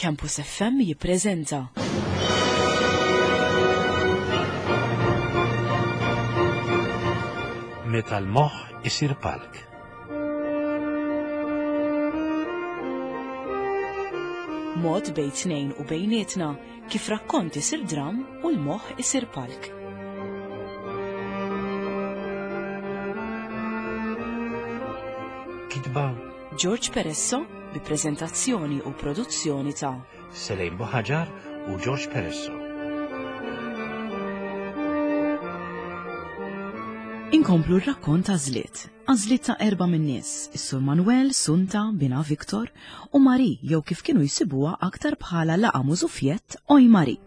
Campus FM jippreżenta. Meta l-moħħ isir palk. Mod bejn tnejn u bejnietna kif rakkont isir dram u l-moħħ isir palk. Kitba George Peresso bi preżentazzjoni u produzzjoni ta' Selejn Buħaġar u George Peresso. Inkomplu r-rakkont għażliet. Għażliet ta' erba' min-nies, is-Sur Manuel, Sunta, binha Victor, u Marie jew kif kienu jsibuha aktar bħala laqa' mużufjett Oj Marie.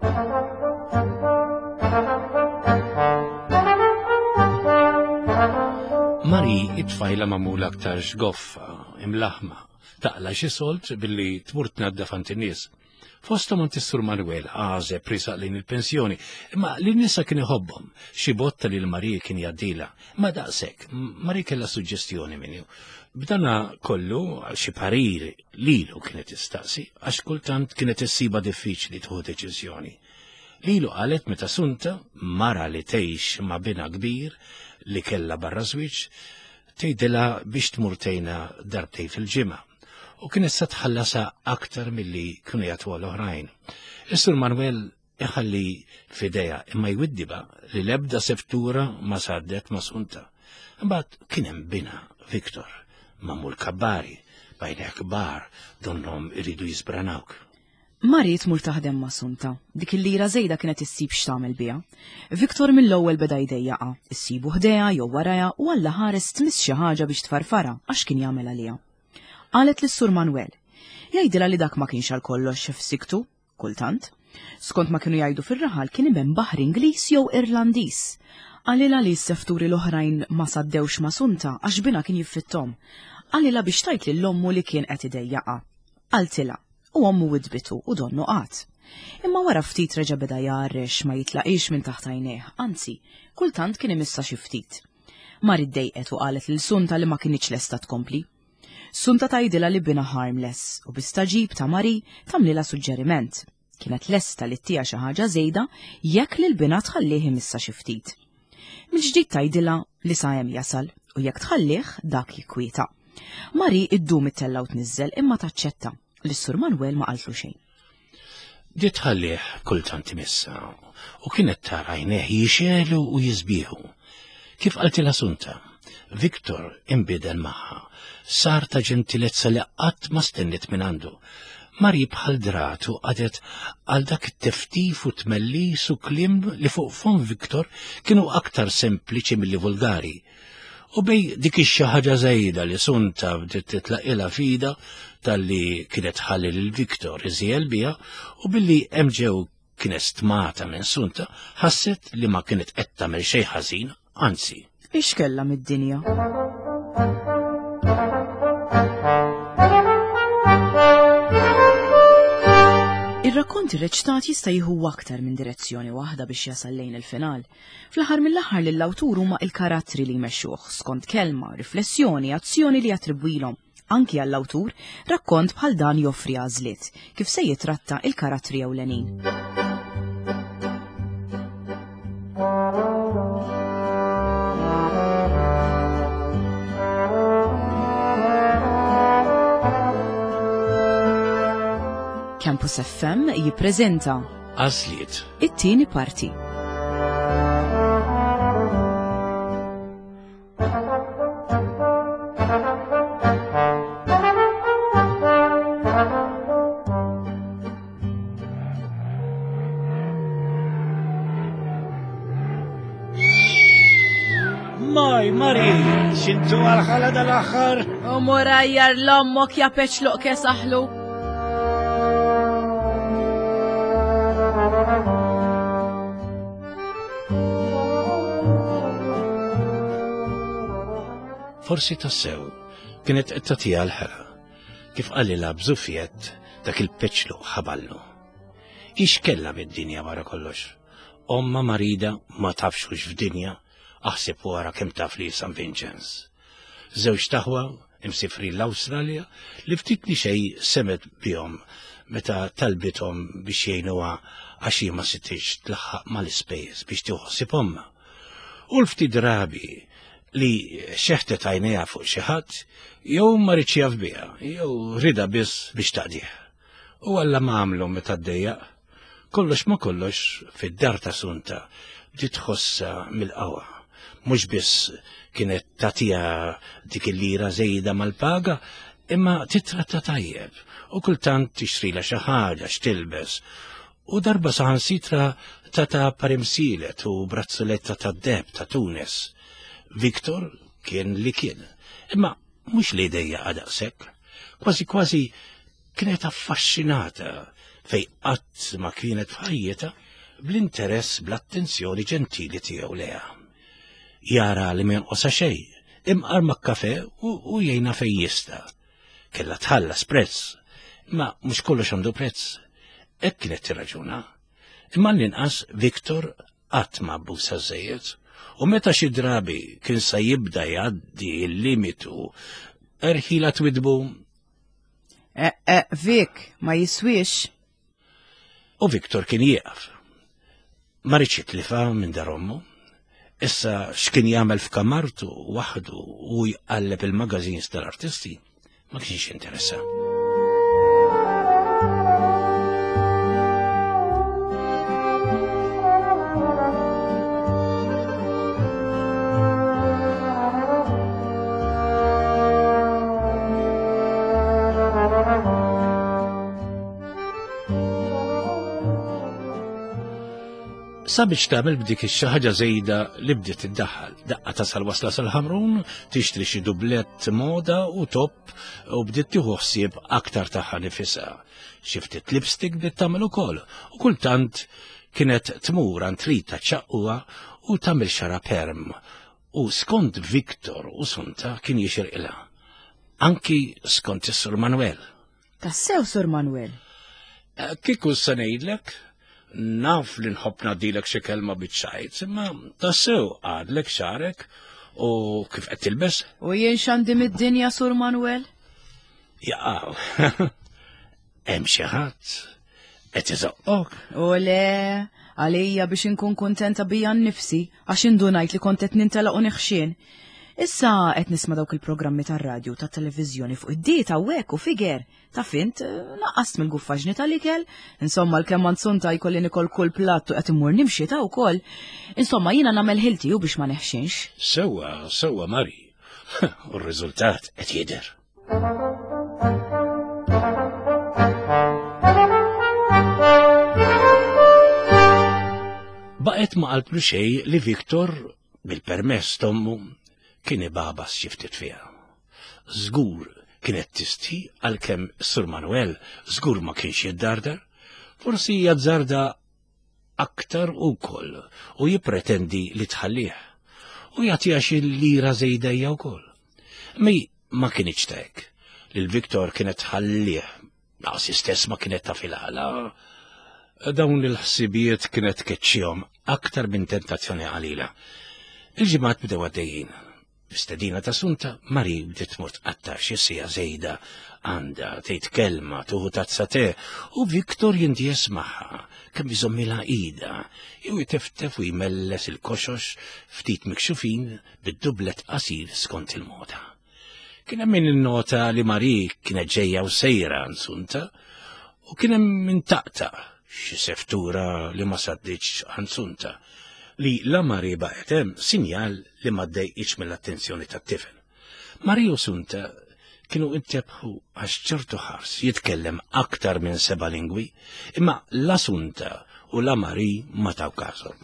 Marie it-tfajla magħmula aktar xgoffa, imlaħma, taqla xi solt billi tmur tnaddaf għand in-nies. Fosthom għand is-Sur Manuel għażeb risaq lejn il-pensjoni, imma lin nisa kien iħobbhom, xi botta lil Marie kien jgħaddilha. Ma daqshekk, Marie kellha suġġestjoni minnu. B'dana kollu xi parir lilu kienet tistaqsi għax kultant kienet issiba diffiċli tieħu deċiżjoni. Lilu qalet meta Sunta, mara li tgħix ma' binha kbir li kellha barra żwieġ, tgħidilha biex tmur tgħinha darbtejn fil-ġimgħa u kienet sa tħallasha aktar milli kienu jagħtuha l-oħrajn. Is-Sur Manuel iħalli f'idejha imma jwiddiba li l-ebda seftura ma saddet ma Sunta. Imbagħad kien hemm binha Victor, magħmul kabbari, b'għajnejh kbar donnhom iridu jisbranawk. Mari tmur taħdem ma' Sunta. Dik il-lira żejda kienet issib x'tagħmel biha. Victor mill-ewwel beda jdejjaqha, issibu ħdejha jew warajha u Alla ħares tmiss xi ħaġa biex tfarfarha għax kien jagħmel għaliha. Qalet lis-Sur Manuel. Jgħidilha li dak ma kienx għal kollox f'siktu, kultant. Skont ma kienu jgħidu fir-raħal kien iben baħri Ingliż jew Irlandiż. Qalilha li s-sefturi l-oħrajn ma saddewx ma' Sunta għax binha kien jiffitthom. Qalilha biex tgħid lil ommu li kien qed idejjaqha. Qaltilha, u ommu widdbitu u donnu qagħad. Imma wara ftit reġa' beda jgħarrex ma jitlaqhiex minn taħt għajnejh, anzi, kultant kien imissha xi ftit. Mari ddejqet u qalet lil Sunta li ma kinitx lesta tkompli. Sunta tgħidilha li binha harmless u bi stagħġib ta' Mari tagħmlilha suġġeriment. Kienet lesta li ttiha xi ħaġa żejda jekk lil binha tħallih imissha xi ftit. Mill-ġdid tgħidilha li sa hemm jasal u jekk tħallih dak jikkwieta. Mari iddum ittella' u tniżżel imma taċċetta li s-Sur Manuel ma qaltlu xejn. Bdiet tħallih kultant imissha u kienet tara għajnejh jixegħlu u jisbieħu. Kif qaltilha Sunta, Victor inbidel magħha, sar ta' ġentilezza li qatt ma stenniet minn għandu. Mari bħal drat u qadet għal dak it-teftif u tmellis u kliem li fuq fom Victor kienu aktar sempliċi milli vulgari. U bej dik ix-xi ħaġa żejda li Sunta bdiet titlaqilha fida talli kienet ħalli lil Victor iżjel biha u billi hemm ġew kienet stmata minn Sunta, ħasset li ma kienet qed tagħmel xejn ħażin, anzi. Ix kellha mid-dinja? Ir-rakkont irreċtat jista' jieħu aktar minn direzzjoni waħda biex jasal lejn il-final. Fl-aħħar mill-aħħar lill-awtur huma il-karattri li jmexxuh skont kelma, riflessjoni, azzjoni li jattribwilhom. Anki għall-awtur, rakkont bħal dan joffri għażliet kif se jitratta il-karattri ewlenin. Campus FM jippreżenta Għażliet. It-tieni parti. Maj, Mari, xintu għal-ħala dal-axar? U morajjar l-ommok ja peċluq kesaħlu. Forsi tassew kienet qed tagħtiha l-ħela. Kif qalilha b'żufjett dak il-peċlu ħaballu. Ix kellha mid-dinja wara kollox. Omma marida ma tafx hux f'dinja, aħseb wara kemm taf li San Vincenz. Żewġ taħwa imsifrin l-Awstralja li ftit li xejn semet bihom. meta talbithom biex jgħinuha għax hi ma sitix tlaħħaq mal-ispejjeż biex tieħu ħsieb ommha. U l-ftit drabi li xeħtet għajnejha fuq xi ħadd, jew ma ridx jaf biha, jew rida biss biex taqdih. U Alla ma għamlu meta ddejjaq. Kollox ma kollox fid-dar ta' Sunta bdiet tħossha mill-qawwa. Mhux biss kienet tagħtiha dik il-lira żejda mal-paga, imma titratta tajjeb u kultant tixtrila xi ħaġa x'tilbes. U darba saħansitra tata parimsilet u brazzoletta tad-deheb ta' Tunis. Victor kien li kien, imma mhux li dejjaqa daqshekk. Kważi kważi kienet affaxxinata fej qatt ma kienet f'ħajjitha bl-interess bl-attenzjoni ġentili tiegħu leha. Jara li ma jonqosha xejn, imqar ma' kafe u jgħinha fejn jista'. Kellha tħallas prezz, imma mhux kollox għandu prezz. Hekk kienet tirraġuna. Imma l-inqas Victor qatt ma abbuża żejjed, u meta xi drabi kien sa jibda jgħaddi l-limitu, erħila twidbu. Eh, eh, Vic, ma jiswix. U Victor kien jieqaf. Ma riedx jitlifa minn dar ommu. Issa x'kien jagħmel f'kamartu waħdu u jqalleb il-magazines tal-artisti ma kienx jinteressa. Sabiex tagħmel b'dik ix-xi ħaġa żejda li bdiet iddaħħal. Daqqa tasal wasla sal-Ħamrun, tixtri xi dublett moda u top u bdiet tieħu ħsieb aktar tagħha nifisha. Xi ftit lipstick bdiet tagħmel ukoll u kultant kienet tmur għand Rita ċaqquha u tagħmel xara perm u skont Victor u Sunta kien jixirqilha. Anki skont is-Sur Manuel. Tassew, Sur Manuel. Eh, kieku se ngħidlek, naf li nħobb ngħaddilek xi kelma biċ-ċajt, imma tassew għadlek xarek u kif qed tilbes. U jien x'għandi mid-dinja, Sur Manuel? Jaqaw. Hemm xi ħadd qed iżoqqok. U le, għalija biex inkun kuntenta bija nnifsi għax indunajt li kont qed nintelaq u neħxien. Issa qed nisma' dawk il-programmi tar-radju tat-televiżjoni fuq id-dieta u hekk u figer. Ta' fint, eh, naqqast mill-guffaġni tal-ikel, insomma l-kemm għand jkolli nikol kull platt u qed immur nimxi ta' wkoll. Insomma jiena nagħmel ħilti u biex ma neħxinx. Sewwa, sewwa Mari. U r-riżultat qed jidher. Baqgħet ma qaltlu xejn li Victor, bil-permess t'ommu, kien ibabas xi ftit fiha. Żgur kienet tistħi għalkemm Sur Manuel żgur ma kienx jiddardar, forsi jazzarda aktar ukoll u jippretendi li tħallih u jagħtiha xi lira żejda hija wkoll. Mi ma kinitx ta' hekk. Lil Victor kienet tħallih, naqsi stess ma kienet taf il-għala. Dawn il-ħsibijiet kienet tkeċċihom aktar minn tentazzjoni qalila. Il-ġimgħat bdew għaddejjin. B'stedina ta' Sunta, Mari bdiet tmur tqatta' xi siegħa żejda għandha, tgħid kelma, tuħu tazza te, u Victor jindies magħha kemm iżommilha idha, jew iteftef u jmelles il-koxox ftit mikxufin bid-dublet qasir skont il-moda. Kien hemm min innota li Mari kienet ġejja u sejra għand Sunta, u kien hemm min taqta' xi seftura li ma sadditx għand Sunta, li la Mari baqgħet hemm sinjal li ma ddejqitx mill-attenzjoni tat-tifel. Mari u Sunta kienu intebħu għax ċertu ħars jitkellem aktar minn seba' lingwi, imma la Sunta u la Mari ma taw każhom.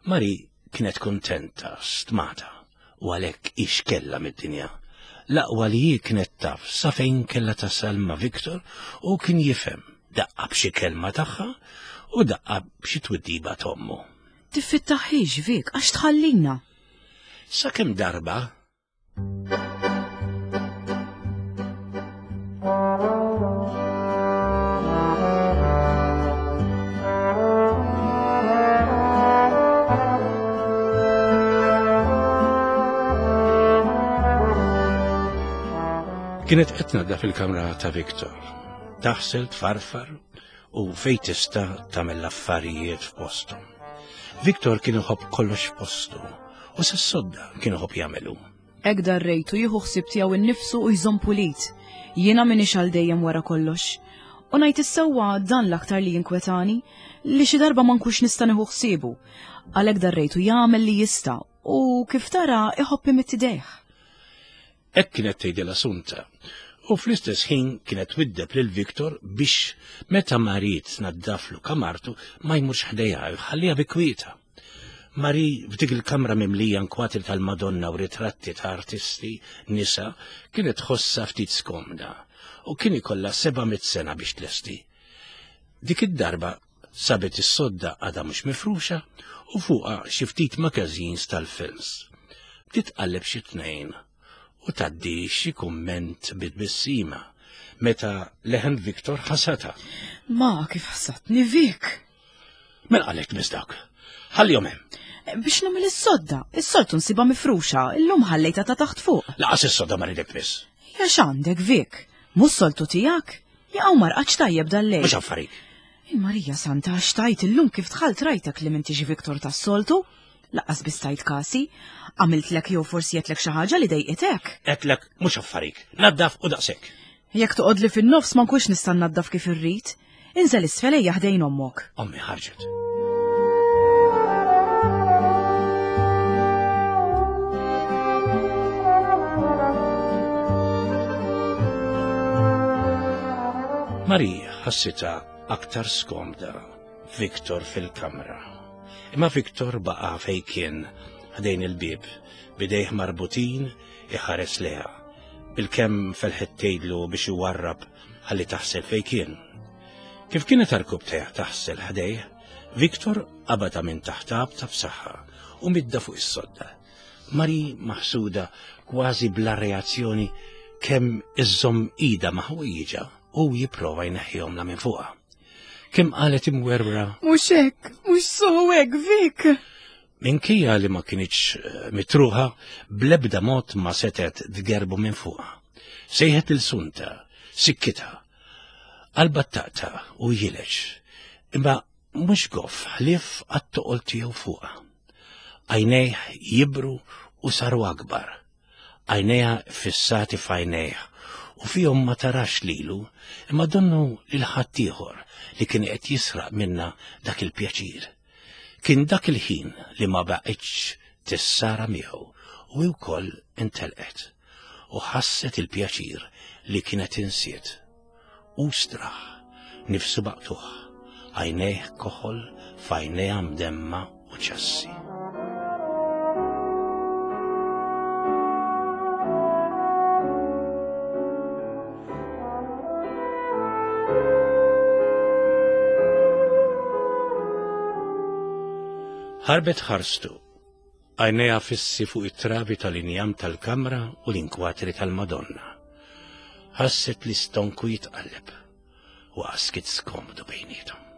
Mari kienet kuntenta, stmata, u għalhekk ix kellha mid-dinja. L-aqwa li hi kienet taf sa fejn kellha tasal ma' Victor u kien jifhem daqqa b'xi kelma tagħha u daqqa b'xi twiddiba t'ommu. Tiffittaħħiex, Vic, għax tħallina. Sakemm darba Kienet qed tnaddaf il-kamra ta' Victor. Taħsel tfarfar u fejn tista' tagħmel l-affarijiet f'posthom. Victor kien iħobb kollox f'postu u sas-sodda kien iħobb jagħmelu. Hekk darrejtu jieħu ħsieb tiegħu nnifsu u jżomm pulit. Jiena m'iniex għal dejjem wara kollox. U ngħid is-sewwa dan l-aktar li jinkwetani, li xi darba ma nkunx nista' nieħu ħsiebu. Għalhekk darrejtu jagħmel li jista' u kif tara iħobb imidd idejh. Hekk kienet tgħidilha Sunta. U fl-istess ħin kienet twiddeb lil Victor biex meta Marie tnaddaflu kamartu ma jmurx ħdejha jħalliha bi kwieta. Marie f'dik il-kamra mimlija nkwatri tal-Madonna u ritratti ta' artisti nisa kienet tħossha ftit skomda u kien ikollha 700 sena biex tlesti. Dik id-darba sabet is-sodda għadha mhux mifruxa u fuqha xi ftit magazines tal-films. Bdiet tqalleb xi tnejn u tgħaddi xi kumment bi tbissima meta leħen Victor ħasatha. Ma kif ħasatni Vic! Mela qalek tmiss dawk. Ħallihom hemm. Biex nagħmel is-sodda, is-soltu nsibha mifruxa, illum ħallejtha ta' taħt fuq. Laqas is-sodda ma ridek tmiss. Ja x'għandek Vic? Mhux soltu tiegħek? Jaqgħu marqax tajjeb dal-lejl. Mhux affarik. Il-Marija Santa għax tajt illum kif dħalt rajtek li m'intix Victor tas-soltu. Laqqas biss tajt kasi. Għamiltlek jew forsi għedtlek xi ħaġa li dejqitek. Għedtlek mhux affarik. Naddaf u daqshekk. Jekk toqgħodli fin-nofs ma nkunx nista' nnaddaf kif irrid. Inżel isfel ejja ħdejn ommok. Ommi ħarġet. Marie ħassitha aktar skomda Victor fil-kamra. Imma Victor baqa' fejn kien ħdejn il-bieb, bidejh marbutin iħares leha. Bilkemm felħet tgħidlu biex iwarrab ħalli taħsel fejn kien. Kif kienet arkubtejha taħsel ħdejh, Victor qabadha minn taħt għabta b'saħħa u midda fuq is-sodda. Mari maħsuda kważi bla reazzjoni kemm iżżomm ida ma' ħwejjiġha u jipprova jneħħihomla minn fuqha. Kemm qalet imwerwra. Mhux hekk, mhux sew hekk, Vic! Minkejja li ma kinitx eh, mitruħa, bl-ebda mod ma setgħet tgerbu minn fuqha. Sejħet lil Sunta, sikkitha, qalbha taqta' u jileġ, imma mhux goff ħlief għat-toqol tiegħu fuqha. Għajnejh jibru u saru akbar. Għajnejha ffissati f'għajnejh u fihom ma tarax lilu, imma donnu lil ħaddieħor li kien qed jisraq minnha dak il-pjaċir. Kien dak il-ħin li ma baqgħitx tissara miegħu u hi wkoll intelqet u ħasset il-pjaċir li kienet insiet. Hu straħ, nifsu maqtugħ, għajnejh koħol f'għajnejha mdemma u ċassi. Ħarbet ħarstu, għajnejha fissi fuq it-trabi tal-injam tal-kamra u l-inkwatri tal-Madonna. Ħasset li stonku jitqalleb u għaskit skomdu bejnietom.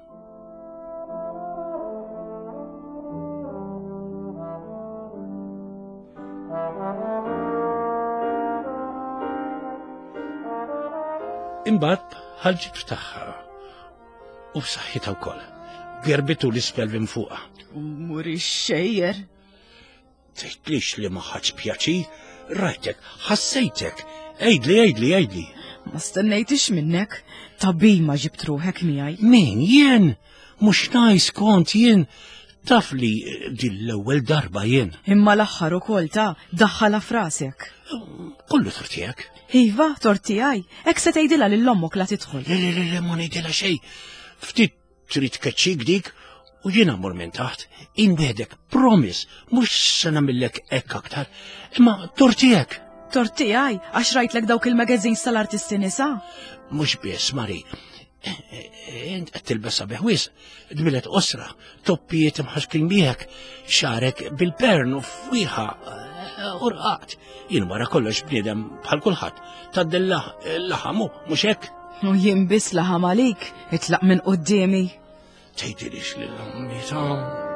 Imbagħad ħarġet f'tagħha u f'saħħitha wkoll. Gerbitu l-isfel minn fuqha. Muri xejjer. Tgħidlix li ma ħadx pjaċir, rajtek, ħassejtek. Għidli, għidli, għidli. Ma stennejtix minnek, tabi ma ġibt ruħek miegħi. Min jien? Mhux najs kont jien taf li din l-ewwel darba jien. Imma l-aħħar ukoll ta' daħħala frasek. Kollu tortijak. Iva, tortijaj, hekk se tgħidilha lil ommok la tidħol. Le, le, le, le, ma ngħidilha xejn. Ftit trid tkeċċik dik u jiena mmur minn taħt, inwedek, promise, mhux se nagħmillek hekk aktar, imma tortijek. Tortijaj, għax rajtlek dawk il-magazines tal-artisti nisa? Mhux biss, Mari, Int qed tilbes sabiħ wisq, dmilet qosra, toppijiet imħaxkin miegħek, xarek bil-pern u fwieħa eh, u rqaqt. Jien wara kollox bniedem bħal kulħadd, tgħaddi laħamu mhux hekk? U jien biss laħam għalik, itlaq minn quddiemi. Tgħidilix lil ommi ta'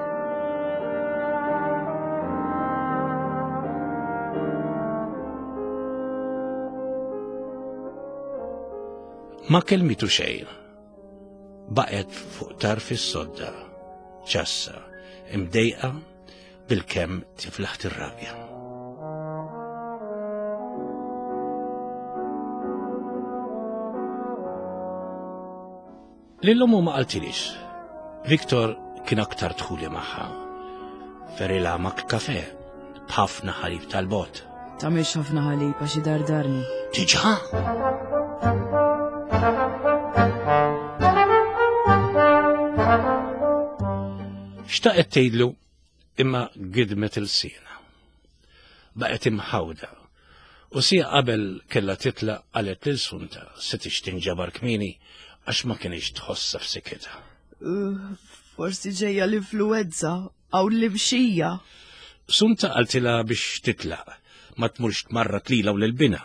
Ma kelmitu xejn. Baqgħet fuq tarf is-sodda, ċassa, imdejqa bilkemm tiflaħ tirrabja. Lil ommu ma qaltilix. Victor kien aktar dħuli magħha. Ferilha mak kafe b'ħafna ħalib tal-bot. Tagħmilx ħafna ħalib għax idardarni. Diġà? Xtaqet tgħidlu imma gidmet il-sina. Baqgħet imħawda u sija qabel kellha titlaq qalet lil Sunta se tinġabar kmieni għax ma kienx tħossha f'sikitha. Forsi ġejja l-influenza hawn l-imxija. Sunta qaltilha biex titlaq, ma tmurx tmarrat lilha u lil binha.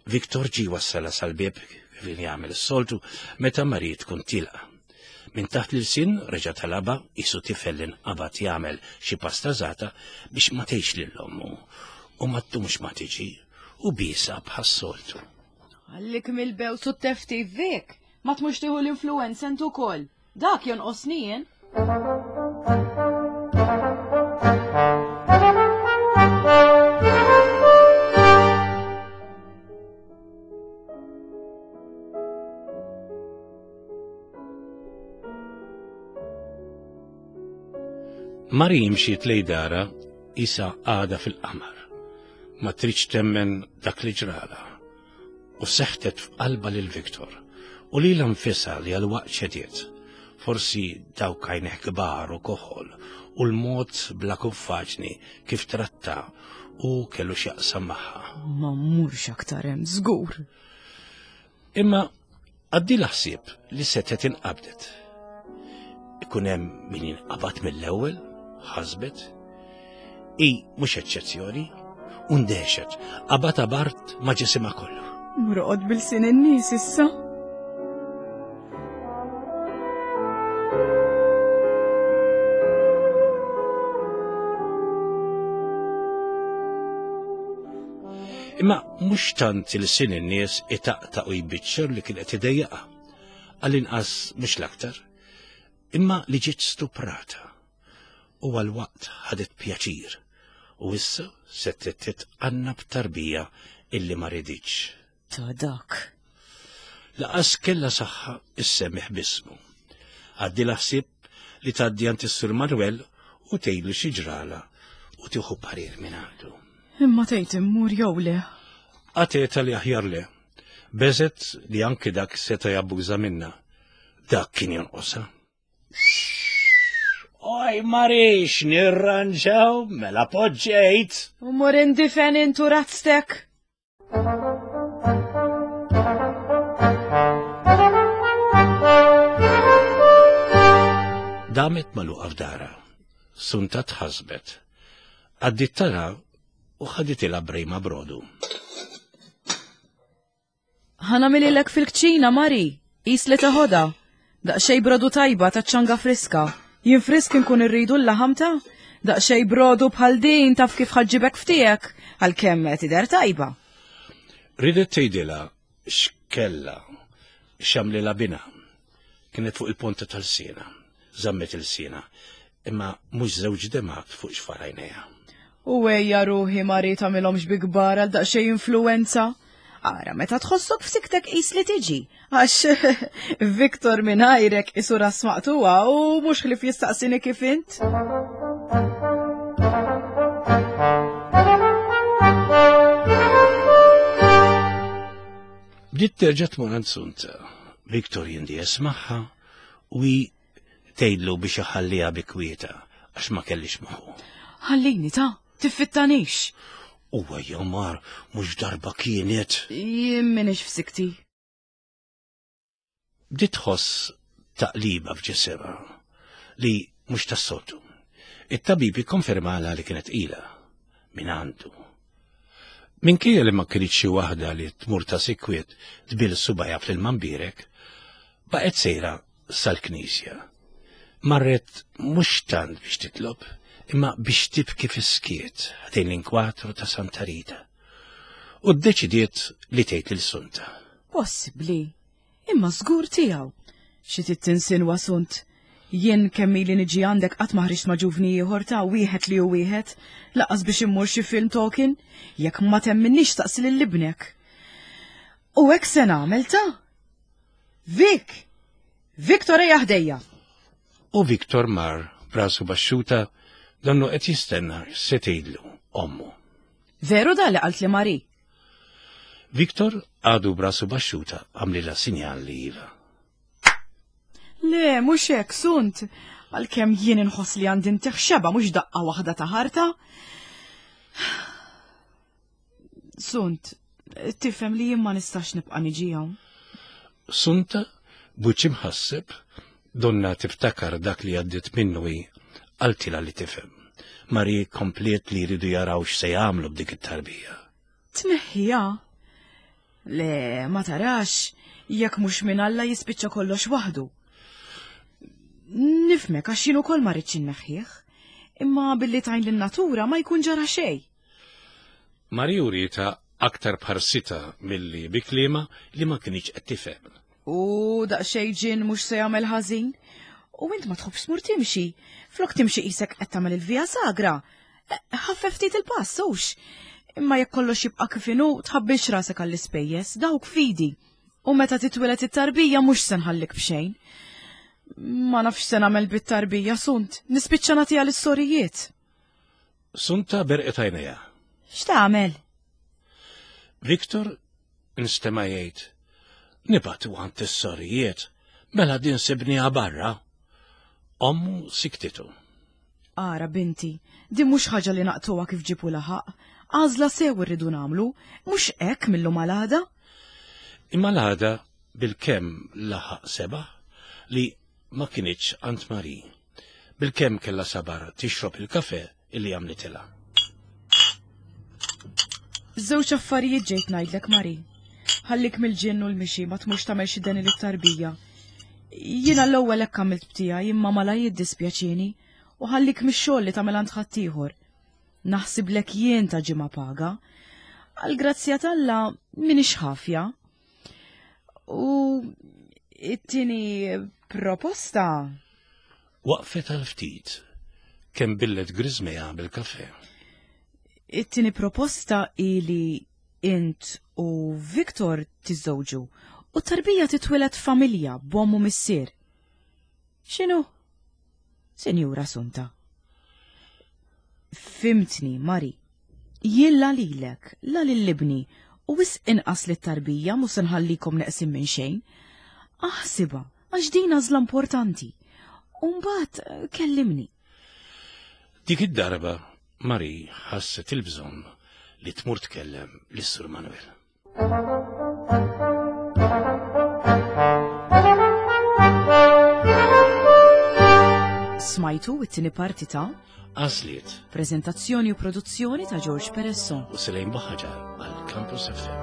Viktor ġie wassalha sal-bieb kif jagħmel is-soltu meta Marie tkun tilqa'. Minn taħt l-ilsien reġa' talabha qisu tifel li nqabad jagħmel xi pastażata biex ma tgħidx lil ommu u ma ddumx ma tiġi u biesha bħas-soltu. Għallik mill-bews u t-teftif Vic, ma tmurx tieħu l-influenza int ukoll. Dak jonqosni jien. Mari mxiet lej dara isa għada fil-qamar. Ma tridx temmen dak li ġrala. U seħtet f'qalba lil Viktor u li l-anfisa li għal waqt ċediet. Forsi dawk għajneħ kbar u koħol u l-mod bla kuffaġni kif tratta u kellu x'jaqsam magħha. Ma mmurx aktar hemm żgur. Imma għaddilha ħsieb li setgħet inqabdet. Ikun hemm min jinqabad mill-ewwel, ħasbet. I mhux eċċezzjoni, u ndehxet, qabad abart ma' ġisimha kollu. Mroqod bil-sin in-nies issa. Imma mhux tant il-sin in-nies itaqtaq u jbiċċer li kien qed idejjaqha. Għall-inqas mhux l-aktar. Imma li ġiet stuprata. U għal-waqt ħadet pjaċir. U issa se titqanna b'tarbija illi ma riditx. Ta' dak. Laqas kella saħħa issemmiħ bismu. Għaddi ħsieb li tgħaddi għand is-Sur Manuel u tgħidlu xi ġrala u tieħu parir minn għandu. Imma tgħid immur jew le? Għateta li aħjar le. Beżet li anki dak seta' jabbuża minna. Dak kien jonqosha. Oj, Marix, nirranġaw, mela poġġejt. U mur indifen intu razztek. Damet maluqa f'dara. Sunta tħasbet. Għaddit tara u ħaditilha brejma brodu. Ħanamililek fil-kċina, Mari, qis li teħodha. Daqsxejn brodu tajba ta' ċanga friska. Jien frisk inkun irridu l-laħam ta' daqsxejn brodu bħal din taf kif ħaġġibek ftiegħek għalkemm qed tidher tajba. Ridet tgħidilha x'kellha x'għamlilha binha. Kienet fuq il-ponta tal-siena. Żammet il-siena, imma mhux żewġ demgħat fuq xfar għajnejha. U ejja ruħi Mari tagħmilhomx bi kbar għal daqsxejn influenza. Ara, meta tħossok f'siktek qis li tiġi, għax Viktor mingħajrek isu ras maqtuwa u mhux ħlief jistaqsini kif int. Bdiet terġa' tmur għand Sunta. Viktor jindies magħha u hi tgħidlu biex iħalliha bi kwieta għax ma kellix moħħu. Ħallini ta' tiffittanix. Huwa jomar mhux darba kienet. Jien m'iniex f'sikti. Bdiet tħoss taqliba f'ġisimha li mhux tas-soltu. It-tabib ikkonfermalha li kienet tqila minn għandu. Minkejja li ma kinitx xi waħda li tmur ta' sikwit tbil subajha fl-ilma mbierek, baqgħet sejra sal-knisja. Marret mhux tant biex titlob, imma biex tibki fis-skiet ħdejn l-inkwatru ta' Santa Rita. U ddeċidiet li tgħid lil Sunta. Possibbli. Imma żgur tiegħu. Xi trid tinsinwa sunt? Jien kemm ili niġi għandek qatt ma ħriġt ma' ġuvni ieħor ta' wieħed li hu wieħed, laqas biex immur xi film talking, jekk ma temminnix staqsi lil ibnek. U hekk se nagħmel ta' Vic! Victor ejja ħdejja! U Victor mar b'rasu baxxuta donnu qed jistenna x'se tgħidlu ommu. Veru da li qalt li Mari? Victor għadu b'rasu baxxuta għamlilha sinjal li iva. Le, mhux hekk, sunt. Għalkemm jien inħoss li għandi ntih xeba mhux daqqa waħda ta' ħarta. Sunt, tifhem li jien ma nistax nibqa' niġi hawn. Sunta, b'wiċċ imħasseb, donna tiftakar dak li għaddiet minnu hi, qaltilha li tifhem. Marie kompliet li jridu jaraw x'se jagħmlu b'dik it-tarbija. Tneħħiha? Le, ma tarax, jekk mhux minn Alla jispiċċa kollox waħdu. Nifmek għax jien ukoll ma rridx inneħħih, imma billi tajn lin-natura ma jkun ġara xejn. Marie urietha aktar b'ħarsitha milli bi kliemha li ma kinitx qed tifhem. U daqsxejn ġinn mhux se jagħmel ħażin. U int ma tħobbx tmur timxi. Flok timxi qisek qed tagħmel il-via sagra. Ħaffef ftit il-pass, hux? Imma jekk kollox jibqa' kif inhu, tħabbilx rasek għall-ispejjeż, dawk fidi. U meta titwieled it-tarbija mhux se nħallik b'xejn. Ma nafx se nagħmel bit-tarbija, Sunt, nispiċċa nagħtiha lis-sorijiet. Sunta berqet għajnejha. X'tagħmel? Victor nstema' jgħid, Nibgħatu għand is-sorijiet, mela din sibniha barra. Ommu siktitu. Ara binti, din mhux ħaġa li naqtuha kif ġibu laħaq. Għażla sew irridu nagħmlu, mhux hekk mill-lum għal għada. Imma l-għada bilkemm laħaq sebaħ li ma kinitx għand Marie. Bilkemm kellha sabar tixrob il-kafè illi għamlitilha. Żewġ affarijiet ġejt ngħidlek Marie. Ħallik mill-ġinn u l-mixi ma tmurx tagħmel xi deni lit-tarbija. Jiena l-ewwel hekk għamilt b'tiegħi imma malajr jiddispjaċini u ħallik mix-xogħol li tagħmel għand ħaddieħor. Naħsiblek jien ta' ġimgħa paga. Għall-grazzja t'Alla m'iniex ħafja. U it-tieni proposta. Waqfet għal ftit, kemm billet griżmejha bil-kafè. It-tieni proposta hi li int u Victor tiżżewġu u t-tarbija titwieled f'familja b'omm u missier. X'inhu? Sinjura Sunta. Fimtni, Mari. Jien la lilek, la lil ibni, u wisq inqas lit-tarbija mhu se nħallikom neqsin minn xejn. Aħsibha, għax din għażla importanti. U mbagħad eh, kellimni. Dik id-darba Mari ħasset il-bżonn li tmur tkellem lis-Sur Manuel. Smajtu it-tieni parti ta' Għażliet. Prezentazzjoni u produzzjoni ta' George Peresso. U Selejn Baħaġar għal Campus FM.